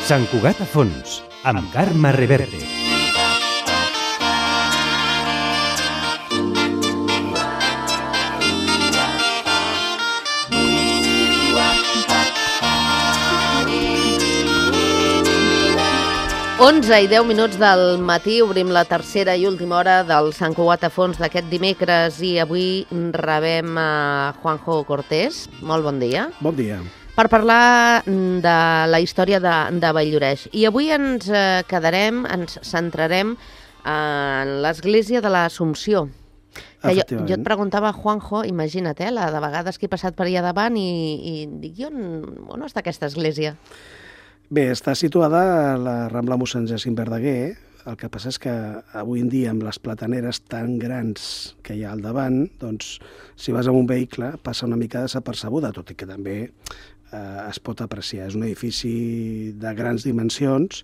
Sant Cugat a fons, amb Carme Reverte. Onze i 10 minuts del matí, obrim la tercera i última hora del Sant Cugat a fons d'aquest dimecres i avui rebem a Juanjo Cortés. Molt bon dia. Bon dia. Per parlar de la història de Valldoreix. I avui ens centrarem en l'església de l'Assumpció. Jo et preguntava, Juanjo, imagina't, la de vegades que he passat per allà davant i dic, on està aquesta església? Bé, està situada a la Rambla Mossèn Jacint Verdaguer. El que passa és que avui en dia, amb les plataneres tan grans que hi ha al davant, doncs, si vas amb un vehicle, passa una mica desapercebuda, tot i que també es pot apreciar. És un edifici de grans dimensions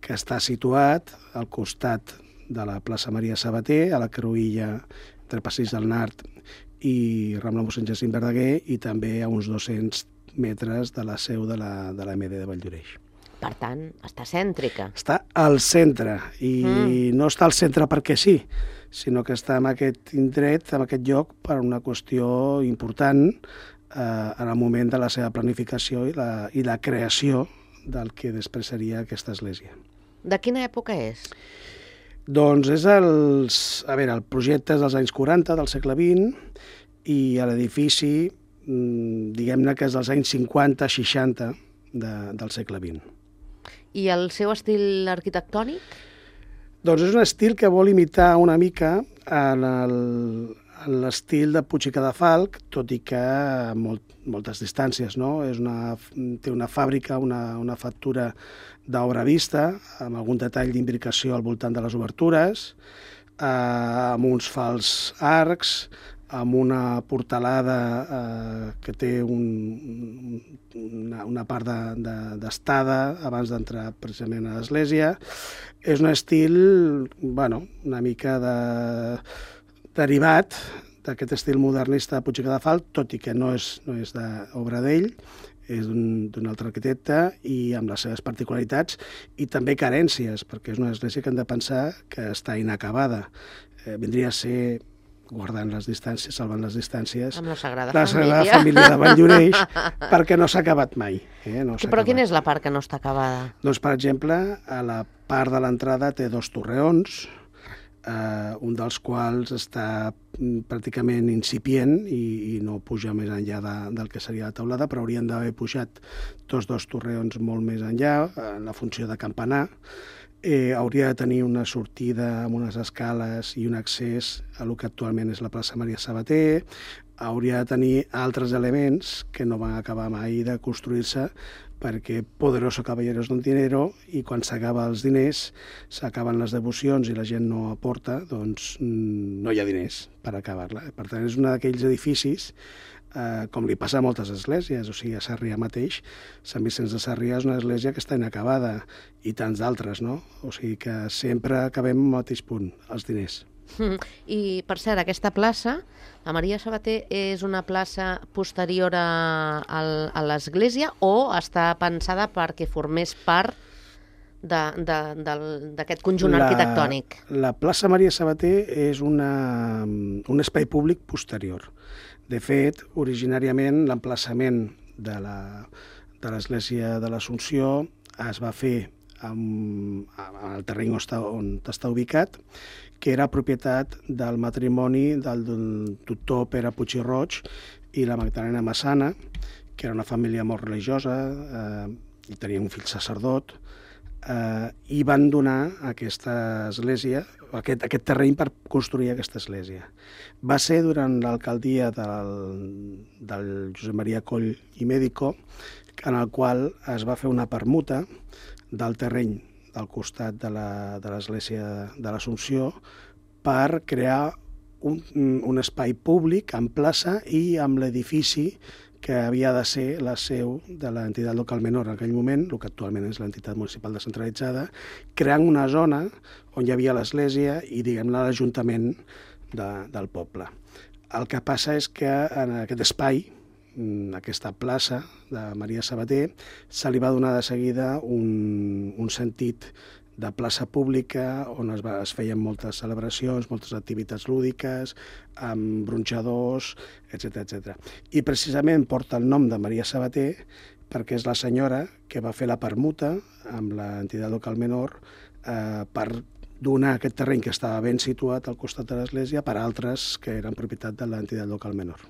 que està situat al costat de la plaça Maria Sabater, a la cruïlla entre Passeig del Nart i Rambla Mossèn Jacint Verdaguer, i també a uns 200 metres de la seu de la MD de Valldoreix. Per tant, està cèntrica. Està al centre, i no està al centre perquè sí, sinó que està en aquest indret, en aquest lloc, per una qüestió important en el moment de la seva planificació i la creació del que després seria aquesta església. De quina època és? Doncs és el projecte és dels anys 40 del segle XX, i l'edifici diguem-ne que és dels anys 50-60 del segle XX. I el seu estil arquitectònic? Doncs és un estil que vol imitar una mica en l'estil de Puig i Cadafalch, tot i que a moltes distàncies, no? Té una fàbrica, una factura d'obra vista, amb algun detall d'imbricació al voltant de les obertures, amb uns fals arcs, amb una portalada que té una part d'estada abans d'entrar precisament a l'església. És un estil, una mica derivat d'aquest estil modernista de Puig i Cadafalch, tot i que no és d'obra d'ell, és d'un altre arquitecte, i amb les seves particularitats i també carències, perquè és una església que hem de pensar que està inacabada. Vindria a ser, guardant les distàncies, salvant les distàncies, amb la Sagrada Família de Valldoreix, perquè no s'ha acabat mai. Però quina és la part que no està acabada? Doncs, per exemple, a la part de l'entrada té 2 torreons, un dels quals està pràcticament incipient i no puja més enllà del que seria la teulada, però haurien d'haver pujat tots 2 torreons molt més enllà, en la funció de campanar. Hauria de tenir una sortida amb unes escales i un accés a lo que actualment és la plaça Maria Sabater. Hauria de tenir altres elements que no van acabar mai de construir-se, perquè poderoso caballeros don dinero, i quan s'acaba els diners, s'acaben les devocions i la gent no aporta, doncs no hi ha diners per acabar-la. Per tant, és un d'aquells edificis, com li passa a moltes esglésies, o sigui, a Sarrià mateix, Sant Vicenç de Sarrià és una església que està inacabada, i tants d'altres, no? O sigui que sempre acabem al mateix punt, els diners. I, per cert, aquesta plaça, la Maria Sabater, és una plaça posterior a l'església o està pensada perquè formés part d'aquest conjunt arquitectònic? La plaça Maria Sabater és un espai públic posterior. De fet, originàriament, l'emplaçament de l'església de l'Assumpció es va fer al terreny on està ubicat, que era propietat del matrimoni del doctor Pere Puig i Roig i la Magdalena Massana, que era una família molt religiosa, i tenia un fill sacerdot, i van donar aquesta església, aquest terreny per construir aquesta església. Va ser durant l'alcaldia del Josep Maria Coll i Médico, en el qual es va fer una permuta del terreny del costat de l'església de l'Assumpció per crear un espai públic en plaça i amb l'edifici que havia de ser la seu de l'entitat local menor en aquell moment, el que actualment és l'entitat municipal descentralitzada, creant una zona on hi havia l'església i, diguem-ne, l'Ajuntament del poble. El que passa és que en aquest espai aquesta plaça de Maria Sabater, se li va donar de seguida un sentit de plaça pública on es feien moltes celebracions, moltes activitats lúdiques, amb bronxadors, etc. I precisament porta el nom de Maria Sabater perquè és la senyora que va fer la permuta amb l'entitat local menor per donar aquest terreny que estava ben situat al costat de l'església per a altres que eren propietat de l'entitat local menor.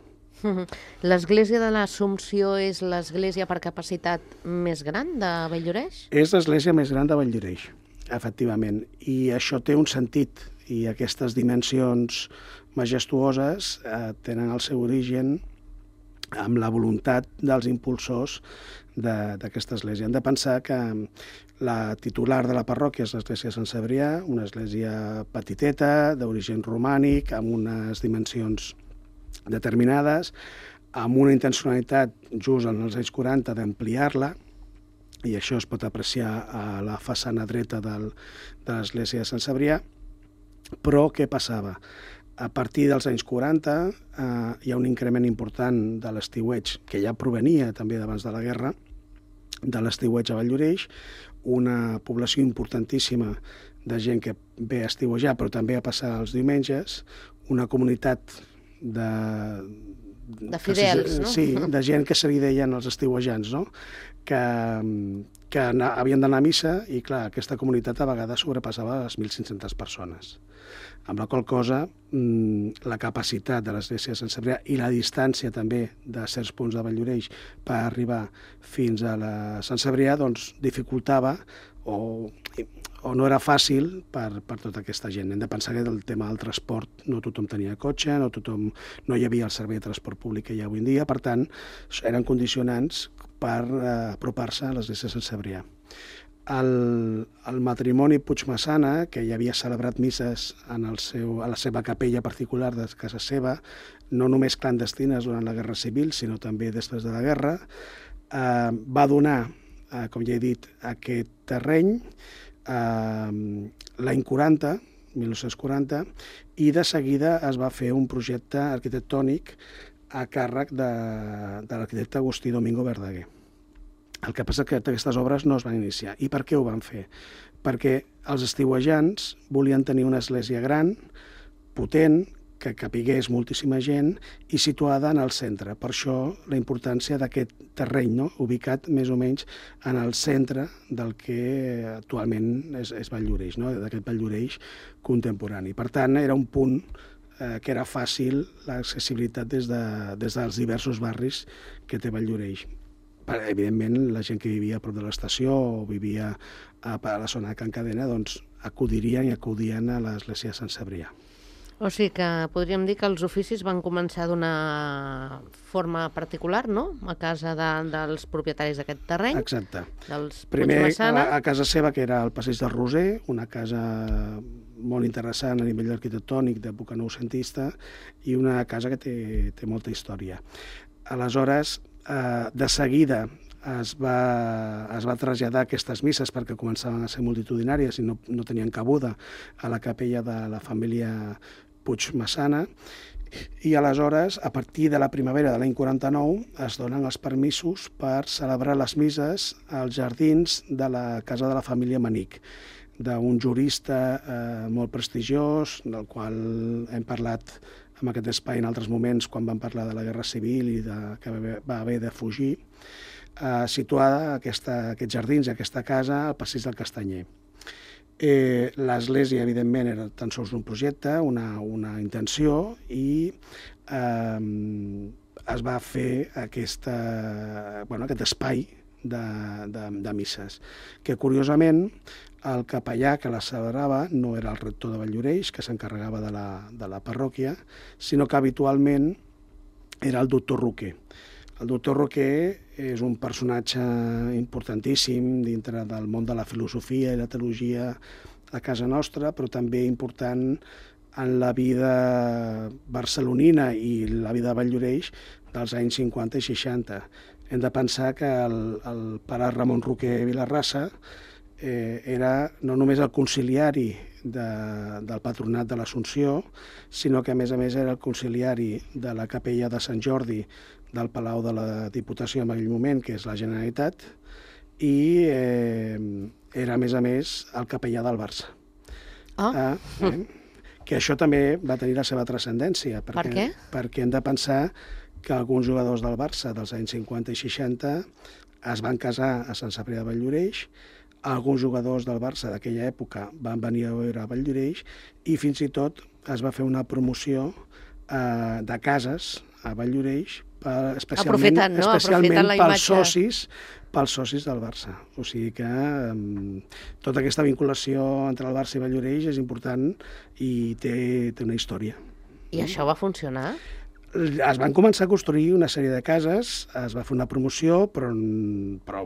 L'església de l'Assumpció és l'església per capacitat més gran de Valldoreix? És l'església més gran de Valldoreix, efectivament, i això té un sentit, i aquestes dimensions majestuoses tenen el seu origen amb la voluntat dels impulsors d'aquesta església. Hem de pensar que la titular de la parròquia és l'església de Sant Cebrià, una església petiteta, d'origen romànic, amb unes dimensions determinades, amb una intencionalitat just en els anys 40 d'ampliar-la, i això es pot apreciar a la façana dreta de l'església de Sant Cebrià. Però què passava? A partir dels anys 40 hi ha un increment important de l'estiueig, que ja provenia també d'abans de la guerra, de l'estiueig a Valldoreix, una població importantíssima de gent que ve a estiuejar, però també a passar els diumenges, una comunitat de fidels, no? Sí, de gent que se li deien els estiuejants, no? Que havien d'anar a missa i, clar, aquesta comunitat a vegades sobrepassava les 1.500 persones. Amb la qual cosa, la capacitat de l'església de Sant Cebrià i la distància també de certs punts de Valldoreix per arribar fins a la Sant Cebrià doncs, dificultava o no era fàcil per tota aquesta gent. Hem de pensar que el tema del transport no tothom tenia cotxe, no hi havia el servei de transport públic que hi ha avui en dia, per tant, eren condicionants per apropar-se a l'església de Sant Cebrià. El matrimoni Puigmassana, que ja havia celebrat misses a la seva capella particular de casa seva, no només clandestines durant la Guerra Civil, sinó també després de la guerra, va donar, com ja he dit, aquest terreny l'any 40, 1940, i de seguida es va fer un projecte arquitectònic a càrrec de l'arquitecte Agustí Domingo Verdaguer. El que passa és que aquestes obres no es van iniciar. I per què ho van fer? Perquè els estiuejants volien tenir una església gran, potent, que capigués moltíssima gent i situada en el centre. Per això la importància d'aquest terreny, no? Ubicat més o menys en el centre del que actualment és Valldoreix, no? D'aquest Valldoreix contemporani. Per tant, era un punt que era fàcil l'accessibilitat des dels diversos barris que té Valldoreix. Evidentment, la gent que vivia a prop de l'estació o vivia a la zona de Can Cadena doncs, acudien a l'església de Sant Cebrià. O sigui que podríem dir que els oficis van començar d'una forma particular, no?, a casa dels propietaris d'aquest terreny. Exacte. Dels Primer Puigmassana. a casa seva, que era el passeig del Roser, una casa molt interessant a nivell arquitectònic d'època noucentista i una casa que té molta història. Aleshores, de seguida es va traslladar aquestes misses perquè començaven a ser multitudinàries i no tenien cabuda a la capella de la família Puigmassana, i aleshores, a partir de la primavera de l'any 49, es donen els permisos per celebrar les misses als jardins de la casa de la família Manic, d'un jurista molt prestigiós, del qual hem parlat en aquest espai en altres moments quan vam parlar de la Guerra Civil i que va haver de fugir, situada aquests jardins, aquesta casa, al passeig del Castanyer. L'església, evidentment, era tan sols un projecte, una intenció, i es va fer aquest espai de misses, que curiosament el capellà que la celebrava no era el rector de Valldoreix, que s'encarregava de la parròquia, sinó que habitualment era el doctor Roquer. El doctor Roquer és un personatge importantíssim dintre del món de la filosofia i la teologia a casa nostra, però també important en la vida barcelonina i la vida de Valldoreix dels anys 50 i 60. Hem de pensar que el pare Ramon Roquer Vilarrasa era no només el conciliari del Patronat de l'Assumpció, sinó que a més era el conciliari de la capella de Sant Jordi del Palau de la Diputació en aquell moment, que és la Generalitat, i era a més el capellà del Barça. Que això també va tenir la seva transcendència. Per què? Perquè hem de pensar que alguns jugadors del Barça dels anys 50 i 60 es van casar a Sant Cebrià de Valldoreix, alguns jugadors del Barça d'aquella època van venir a veure a Valldoreix i fins i tot es va fer una promoció de cases a Valldoreix especialment pels socis del Barça. O sigui que tota aquesta vinculació entre el Barça i Valldoreix és important i té una història. I això va funcionar? Es van començar a construir una sèrie de cases, es va fer una promoció, però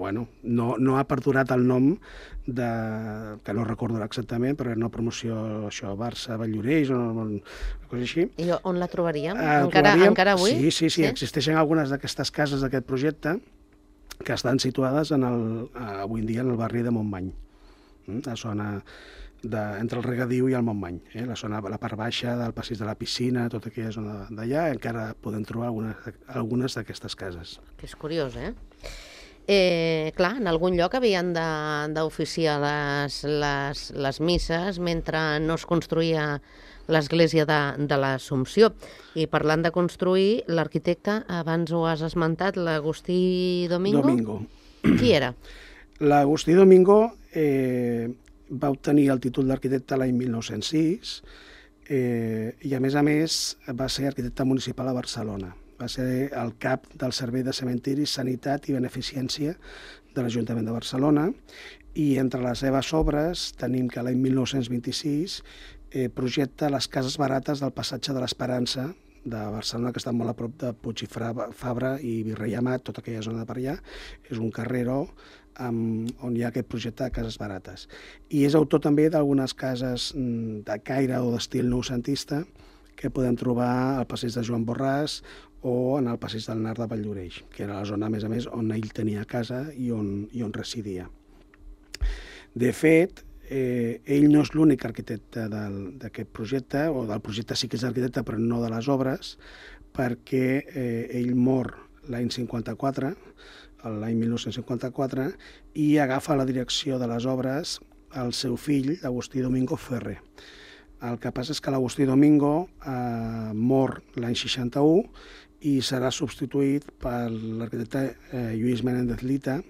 bueno, no ha perdurat el nom que no recordo exactament, però era una promoció, això, Barça-Valldoreix, o una cosa així. I on la trobaríem? Encara avui? Sí, existeixen algunes d'aquestes cases d'aquest projecte que estan situades avui en dia en el barri de Montmany, la zona entre el regadiu i el Montmany, la part baixa del passeig de la piscina, tota aquella zona d'allà, encara podem trobar algunes d'aquestes cases. Que és curiós, Clar, en algun lloc havien d'oficiar les misses mentre no es construïa l'església de l'Assumpció. I parlant de construir, l'arquitecte, abans ho has esmentat, l'Agustí Domingo. Qui era? L'Agustí Domingo va obtenir el títol d'arquitecte l'any 1906 i, a més, va ser arquitecte municipal a Barcelona. Va ser el cap del Servei de Cementiris, Sanitat i Beneficència de l'Ajuntament de Barcelona i entre les seves obres tenim que l'any 1926 projecta les cases barates del passatge de l'Esperança de Barcelona, que està molt a prop de Puig i Fabra i Virrei Amat, tota aquella zona de per allà. És un carreró on hi ha aquest projecte de cases barates. I és autor també d'algunes cases de caire o d'estil noucentista que podem trobar al passeig de Joan Borràs o en el passeig del Nart de Valldoreix, que era la zona, a més, on ell tenia casa i on residia. De fet, ell no és l'únic arquitecte d'aquest projecte, o del projecte sí que és arquitecte, però no de les obres, perquè ell mor l'any 54, l'any 1954, i agafa la direcció de les obres el seu fill, Agustí Domingo Ferrer. El que passa és que l'Agustí Domingo mor l'any 61 i serà substituït per l'arquitecte Lluís Menéndez Lita,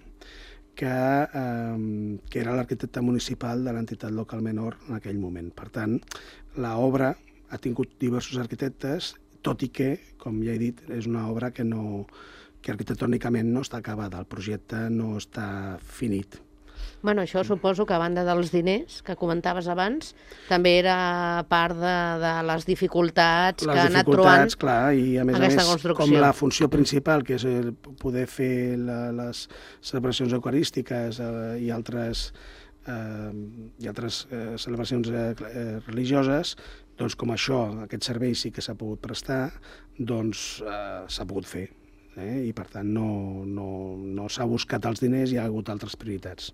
que era l'arquitecte municipal de l'entitat local menor en aquell moment. Per tant, l'obra ha tingut diversos arquitectes, tot i que, com ja he dit, és una obra que arquitectònicament no està acabada, el projecte no està finit. Bueno, això suposo que a banda dels diners que comentaves abans, també era part de les dificultats que ha anat trobant aquesta construcció. Com la funció principal, que és poder fer les celebracions eucarístiques i altres celebracions religioses, doncs com aquest servei sí que s'ha pogut prestar, doncs s'ha pogut fer. I per tant no s'ha buscat els diners i hi ha hagut altres prioritats.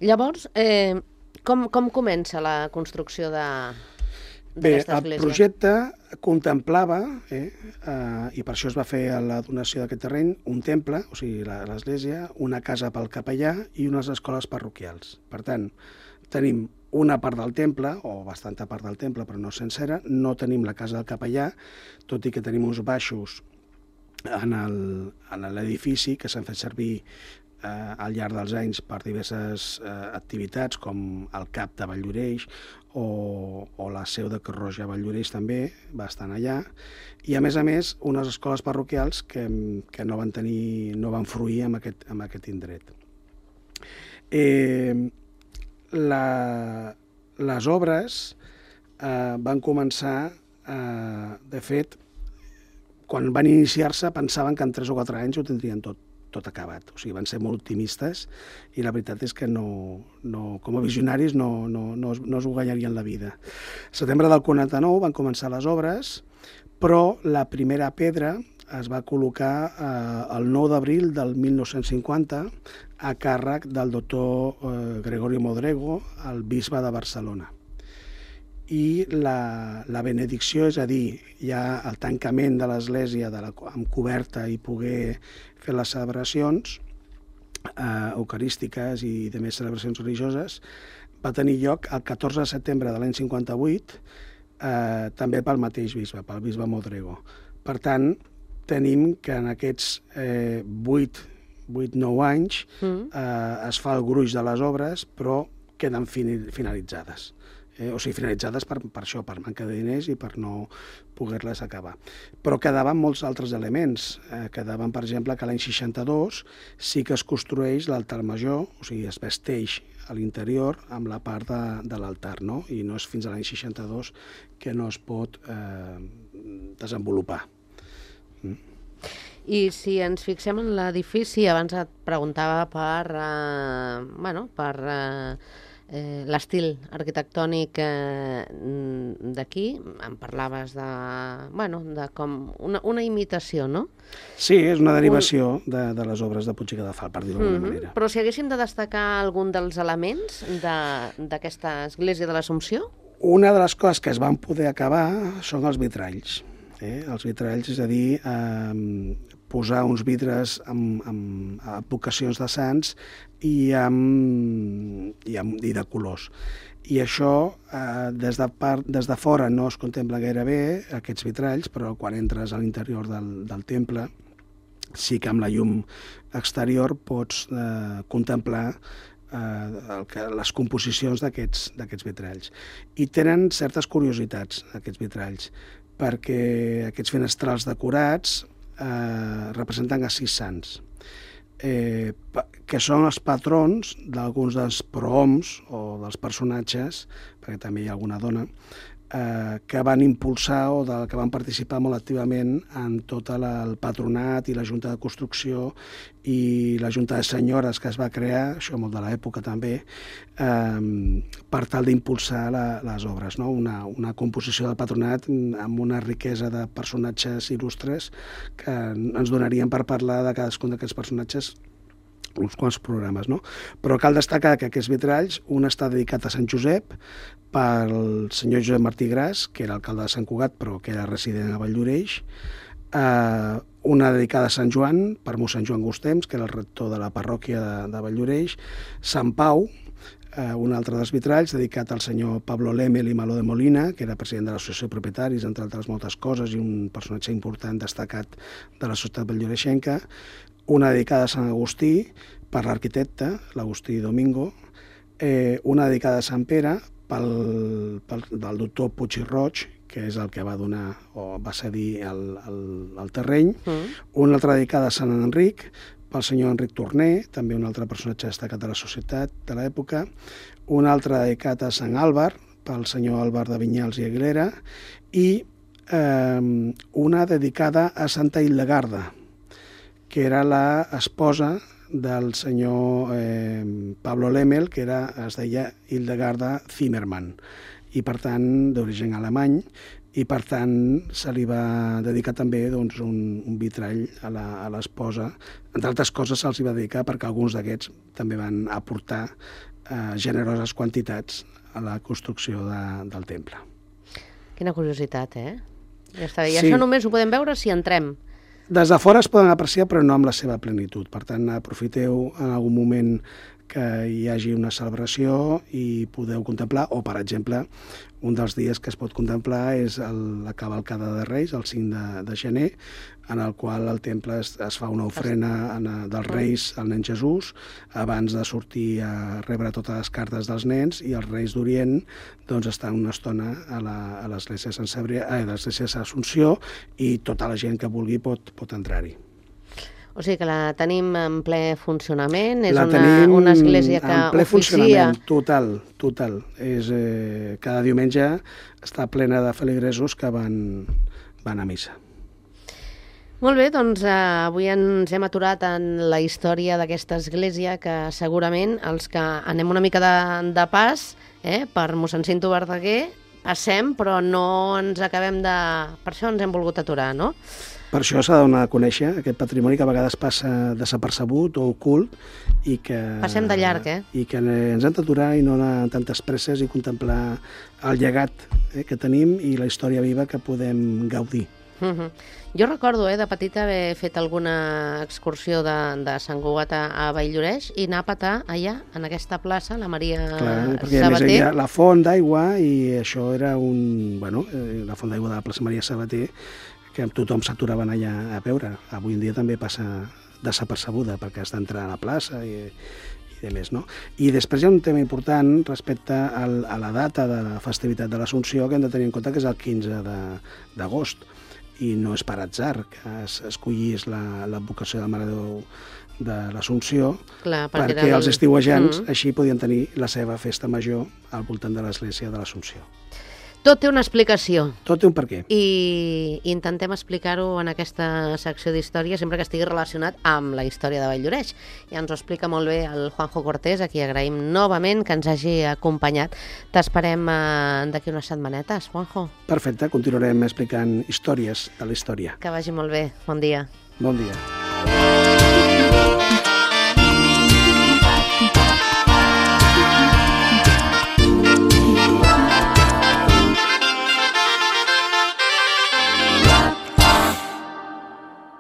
Llavors, com comença la construcció d'aquesta església? El projecte contemplava, i per això es va fer la donació d'aquest terreny, un temple, o sigui, l'església, una casa pel capellà i unes escoles parroquials. Per tant, tenim una part del temple, o bastanta part del temple, però no sencera, no tenim la casa del capellà, tot i que tenim uns baixos en l'edifici que s'han fet servir al llarg dels anys per diverses activitats, com el CAP de Valldoreix o la seu de Creu Roja a Valldoreix també va estar allà, i a més unes escoles parroquials que no van fruir amb aquest indret. Les obres van començar, de fet, quan van iniciar-se pensaven que en 3 o 4 anys ho tindrien tot acabat. O sigui, van ser molt optimistes i la veritat és que com a visionaris no es ho guanyarien la vida. Al setembre del 49 van començar les obres, però la primera pedra es va col·locar el 9 d'abril del 1950 a càrrec del doctor Gregorio Modrego, el bisbe de Barcelona. I la benedicció, és a dir, ja el tancament de l'església amb coberta i poder fer les celebracions eucarístiques i de més celebracions religioses, va tenir lloc el 14 de setembre de l'any 58, també pel mateix bisbe, pel bisbe Modrego. Per tant, tenim que en aquests 8-9 anys es fa el gruix de les obres, però queden finalitzades. O sigui, finalitzades per això, per manca de diners i per no poder-les acabar. Però quedaven molts altres elements. Quedaven, per exemple, que l'any 62 sí que es construeix l'altar major, o sigui, es vesteix a l'interior amb la part de l'altar, no? I no és fins a l'any 62 que no es pot desenvolupar. I si ens fixem en l'edifici, abans et preguntava per l'estil arquitectònic d'aquí, em parlaves de com una imitació, no? Sí, és una derivació de les obres de Puig i Cadafalch, per dir-ho d'alguna manera. Però si haguéssim de destacar algun dels elements d'aquesta església de l'Assumpció? Una de les coses que es van poder acabar són els vitralls. Els vitralls, és a dir, posar uns vidres amb advocacions de sants i de colors. I això, des de fora no es contempla gaire bé, aquests vitralls, però quan entres a l'interior del temple, sí que amb la llum exterior pots contemplar les composicions d'aquests vitralls. I tenen certes curiositats, aquests vitralls, perquè aquests finestrals decorats representen a 6 sants, que són els patrons d'alguns dels prohoms o dels personatges, perquè també hi ha alguna dona, que van impulsar o que van participar molt activament en tot el patronat i la Junta de Construcció i la Junta de Senyores que es va crear, això molt de l'època també, per tal d'impulsar les obres, no? Una composició del patronat amb una riquesa de personatges il·lustres que ens donarien per parlar de cadascun d'aquests personatges uns quants programes, no? Però cal destacar que aquests vitralls, un està dedicat a Sant Josep pel senyor Josep Martí Gras, que era alcalde de Sant Cugat, però que era resident a Valldoreix, una dedicada a Sant Joan, per mossèn Joan Gustems, que era el rector de la parròquia de Valldoreix, Sant Pau, un altre dels vitralls dedicat al senyor Pablo Lemel i Maló de Molina, que era president de l'Associació de Propietaris, entre altres moltes coses, i un personatge important destacat de la societat valldoreixenca, una dedicada a Sant Agustí per l'arquitecte, l'Agustí Domingo, una dedicada a Sant Pere del doctor Puig i Roig, que és el que va donar o va cedir el terreny, una altra dedicada a Sant Enric, pel senyor Enric Torner, també un altre personatge destacat de la societat de l'època, un altre dedicat a Sant Àlvar, pel senyor Àlvar de Vinyals i Aguilera, i una dedicada a Santa Hildegarda, que era l'esposa del senyor Pablo Lemel, que es deia Hildegarda Zimmermann, i per tant d'origen alemany, i per tant se li va dedicar també un vitrall a l'esposa. Entre altres coses se'ls va dedicar perquè alguns d'aquests també van aportar generoses quantitats a la construcció del temple. Quina curiositat, Ja està bé. I això només ho podem veure si entrem. Des de fora es poden apreciar, però no amb la seva plenitud. Per tant, aprofiteu en algun moment que hi hagi una celebració i podeu contemplar, o per exemple, un dels dies que es pot contemplar és la cavalcada de Reis, el 5 de gener, en el qual al temple es fa una ofrena dels Reis al nen Jesús abans de sortir a rebre totes les cartes dels nens, i els Reis d'Orient estan una estona a l'església de l'Assumpció, i tota la gent que vulgui pot entrar-hi. O sigui que la tenim en ple funcionament, és una església que en ple oficia... funcionament, total. Cada diumenge està plena de feligresos que van a missa. Molt bé, doncs avui ens hem aturat en la història d'aquesta església, que segurament els que anem una mica de pas per mossèn Cinto Verdaguer passem, però no ens acabem de... Per això ens hem volgut aturar, no? Per això s'ha de donar a conèixer aquest patrimoni que a vegades passa desapercebut o ocult i que... Passem de llarg, I que ens hem d'aturar i no anar amb tantes presses i contemplar el llegat que tenim i la història viva que podem gaudir. Jo recordo de petita haver fet alguna excursió de Sant Cugat a Valldoreix i anar a petar allà, en aquesta plaça, la Maria perquè a més Sabater. hi ha la font d'aigua i això era la font d'aigua de la plaça Maria Sabater, que tothom s'aturava allà a veure. Avui en dia també passa desapercebuda perquè has d'entrar a la plaça i de més, no? I després hi ha un tema important respecte a la data de la festivitat de l'Assumpció que hem de tenir en compte que és el 15 d'agost i no és per atzar que escollís l'advocació de la Mare de Déu de l'Assumpció perquè els estiuejants així podien tenir la seva festa major al voltant de l'església de l'Assumpció. Tot té una explicació. Tot té un perquè. I intentem explicar-ho en aquesta secció d'història sempre que estigui relacionat amb la història de Valldoreix. Ja ens ho explica molt bé el Juanjo Cortés, a qui agraïm novament que ens hagi acompanyat. T'esperem d'aquí unes setmanetes, Juanjo. Perfecte, continuarem explicant històries de la història. Que vagi molt bé. Bon dia. Bon dia.